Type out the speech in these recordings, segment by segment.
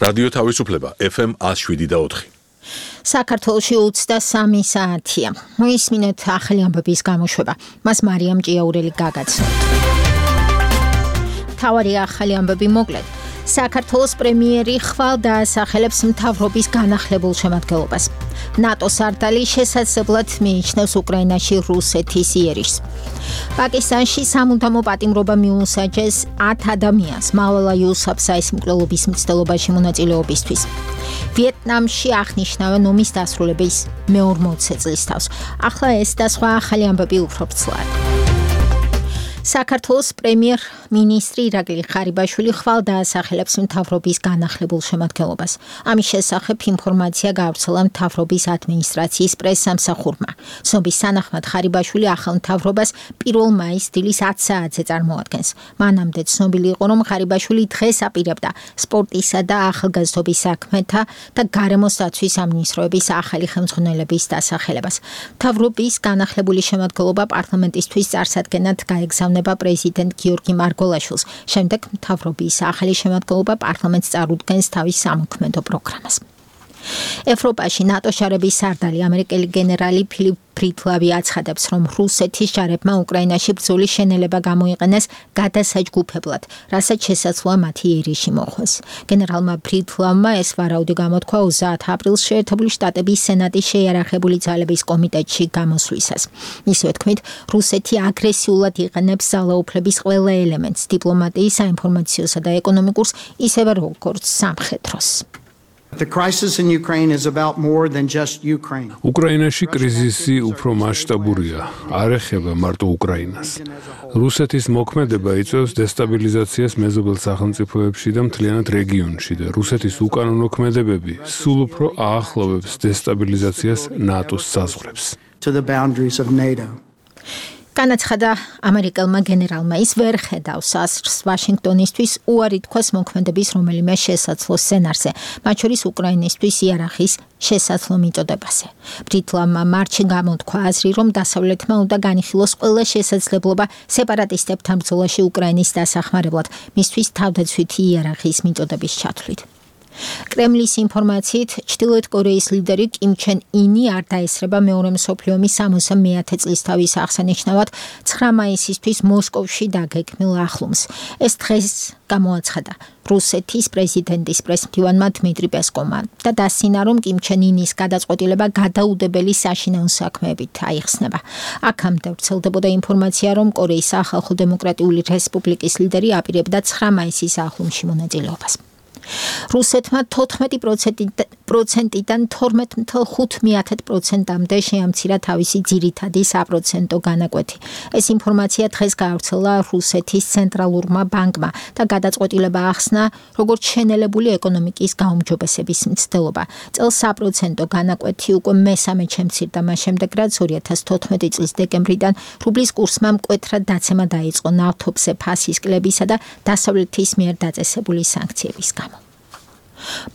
რადიო თავისუფლება FM 107.4. საქართველოში 23 საათია. მოისმინეთ ახალი ამბების გამოშვება. მას მარიამ ჭიაურელი გაგაცნო. თავარი ახალი ამბები მოკლედ. საქართველოს პრემიერი ხვალ დაასახელებს მთავრობის განახლებულ შემადგენლობას. ნატოს სარდალი შესაძლებლად მიიჩნევს უკრაინაში რუსეთის იერიშს. პაკისტანში სამუდამო პატიმრობა მიუსაჯეს 10 ადამიანს მავალა იუსაფზაის მკვლელობის მცდელობაში მონაწილეობისთვის. ვიეტნამში აღნიშნავენ ომის დასრულების მე-40 წლის თავს. ახლა ეს და სხვა ახალი ამბები უფრო ვრცლად. საქართველოს პრემიერ-მინისტრი ირაკლი ხარიბაშვილი ხვალ დაასახელებს მთავრობის განახლებულ შემადგენლობას. ამის შესახებ ინფორმაცია გავრცელა მთავრობის ადმინისტრაციის პრესსამსახურმა. ცნობის თანახმად ხარიბაშვილი ახალ მთავრობას 1 მაისს დილის 10 საათზე წარმოადგენს. მანამდე ცნობილი იყო, რომ ხარიბაშვილი დღეს აპირებდა სპორტისა და ახალგაზრდობის საქმეთა და გარემოს დაცვის სამინისტროების ახალი ხელმძღვანელების დასახელებას. მთავრობის განახლებული შემადგენლობა პარლამენტისთვის წარსადგენად გაეგზავნა პრეზიდენტ გიორგი მარგოლაშვილს. შემდეგ მთავრობის ახალი შემადგენლობა პარლამენტს წარუდგენს თავის სამოქმედო პროგრამას. ევროპაში ნატოს ჯარების სარდალი ამერიკელი გენერალი ფილიპ ფრიდლავი აცხადებს, რომ რუსეთის ჯარებმა უკრაინაში ბრძოლის შენელება გამოიყენეს გადასაჯგუფებლად, რასაც შესაძლოა მათი იერიში მოხვეს. გენერალმა ფრიდლავმა ეს ვარაუდი გამოთქვა 30 აპრილს შეერთებული შტატების სენატის შეიარაღებული ძალების კომიტეტში გამოსვლისას. მისივე თქმით, რუსეთი აგრესიულად იყენებს ძალაუფლების ყველა ელემენტს, დიპლომატიის, საინფორმაციოსა და ეკონომიკურს, ისევე როგორც სამხედროს. The crisis in Ukraine is about more than just Ukraine. უკრაინაში კრიზისი უფრო მასშტაბურია, არ ეხება მარტო უკრაინას. რუსეთის მოქმედება იწვევს დესტაბილიზაციას მეზობელ სახელმწიფოებში და მთლიანად რეგიონში და რუსეთის უკანონო ქმედებები სულ უფრო აახლოვებს დესტაბილიზაციას ნატოს საზღვრებს. To the boundaries of NATO. განაცხადა ამერიკელმა გენერალმა, ის ვერ ხედავს ასრს ვაშინგტონისთვის უარი თქვას მოქმედების რომელიმე შესაძლო სცენარზე, მათ შორის უკრაინისთვის იარაღის შესაძლო მიწოდებაზე. ბრიტლავმა მარტში გამოთქვა აზრი, რომ დასავლეთმა უნდა განიხილოს ყველა შესაძლებლობა სეპარატისტებთან ბრძოლაში უკრაინის დასახმარებლად, მისთვის თავდაცვითი იარაღის მიწოდების ჩათვლით. კრემლის ინფორმაციით, ჩრდილოეთ კორეის ლიდერი კიმ ჩენ ინი არ დაესწრება მეორე მსოფლიო ომის 69 წლისთავის აღსანიშნავად 9 მაისისთვის მოსკოვში დაგეგმილ ახლომს. ეს დღეს გამოაცხადა რუსეთის პრეზიდენტის პრესმდივანმა დმიტრი პესკოვმა და დასცინა, რომ კიმ ჩენ ინის გადაწყვეტილება გადაუდებელი საშინაო საქმეებით აიხსნება. აქამდე ვრცელდებოდა ინფორმაცია, რომ კორეის სახალხო დემოკრატიული რესპუბლიკის ლიდერი აპირებდა 9 მაისის ახლომში მონაწილეობას. რუსეთმა 14%-დან 12.5%-მდე შეამცირა თავისი ძირითადი საპროცენტო განაკვეთი. ეს ინფორმაცია დღეს გაავრცელა რუსეთის ცენტრალურმა ბანკმა და გადაწყვეტილება ახსნა, როგორც შენელებული ეკონომიკის გაუმჯობესების მცდელობა. წელს საპროცენტო განაკვეთი უკვე მესამედ შემცირდა, მას შემდეგ რაც 2014 წლის დეკემბრიდან რუბლის კურსმა მკვეთრად დაცემა დაიწყო ნავთობზე ფასის კლებისა და დასავლეთის მიერ დაწესებული სანქციების გამო.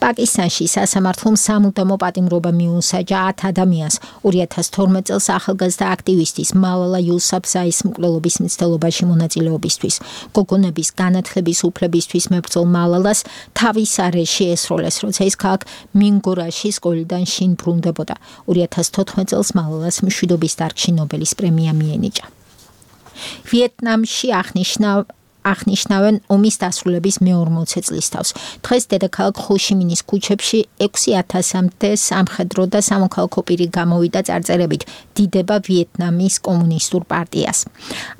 პაკისტანში სასამართლომ სამუდამო პატიმრობა მიუსაჯა 10 ადამიანს 2012 წელს ახალგაზრდა აქტივისტის მავალა იუსაფზაის მკვლელობის მცდელობაში მონაწილეობისთვის. გოგონების განათლების უფლებისთვის მებრძოლ მავალას თავის არეში ესროლეს, როცა ის ქალაქ მინგორაში სკოლიდან შინ ბრუნდებოდა. 2014 წელს მავალას მშვიდობის დარგში ნობელის პრემია მიენიჭა. ვიეტნამში აღნიშნავენ ომის დასრულების მე-40 წლის თავს. დღეს დედაქალაქ ხოშიმინის ქუჩებში 6000-მდე სამხედრო და სამოქალაქო პირი გამოვიდა წარწერებით დიდება ვიეტნამის კომუნისტურ პარტიას.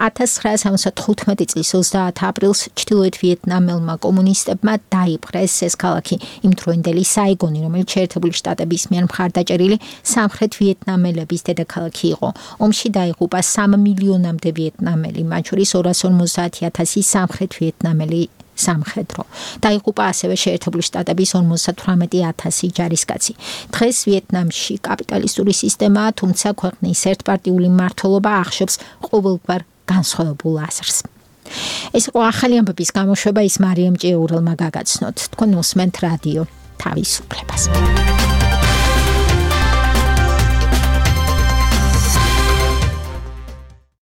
1975 წლის 30 აპრილს ჩრდილოეთ ვიეტნამელმა კომუნისტებმა დაიპყრეს ეს ქალაქი, იმ დროინდელი საიგონი, რომელიც შეერთებული შტატების მიერ მხარდაჭერილი სამხრეთ ვიეტნამელების დედაქალაქი იყო. ომში დაიღუპა 3 მილიონამდე ვიეტნამელი, მათ შორის 250,000 სამხრეთ ვიეტნამელი სამხედრო. დაიღუპა ასევე შეერთებული შტატების 58,000 ჯარისკაცი. დღეს ვიეტნამში კაპიტალისტური სისტემაა, თუმცა ქვეყნის ერთპარტიული მმართველობა ახშობს ყოველგვარ განსხვავებულ აზრს. ეს იყო ახალი ამბების გამოშვება, ის მარიამ ჭიაურელმა გაგაცნოთ. თქვენ უსმენთ რადიო თავისუფლებას.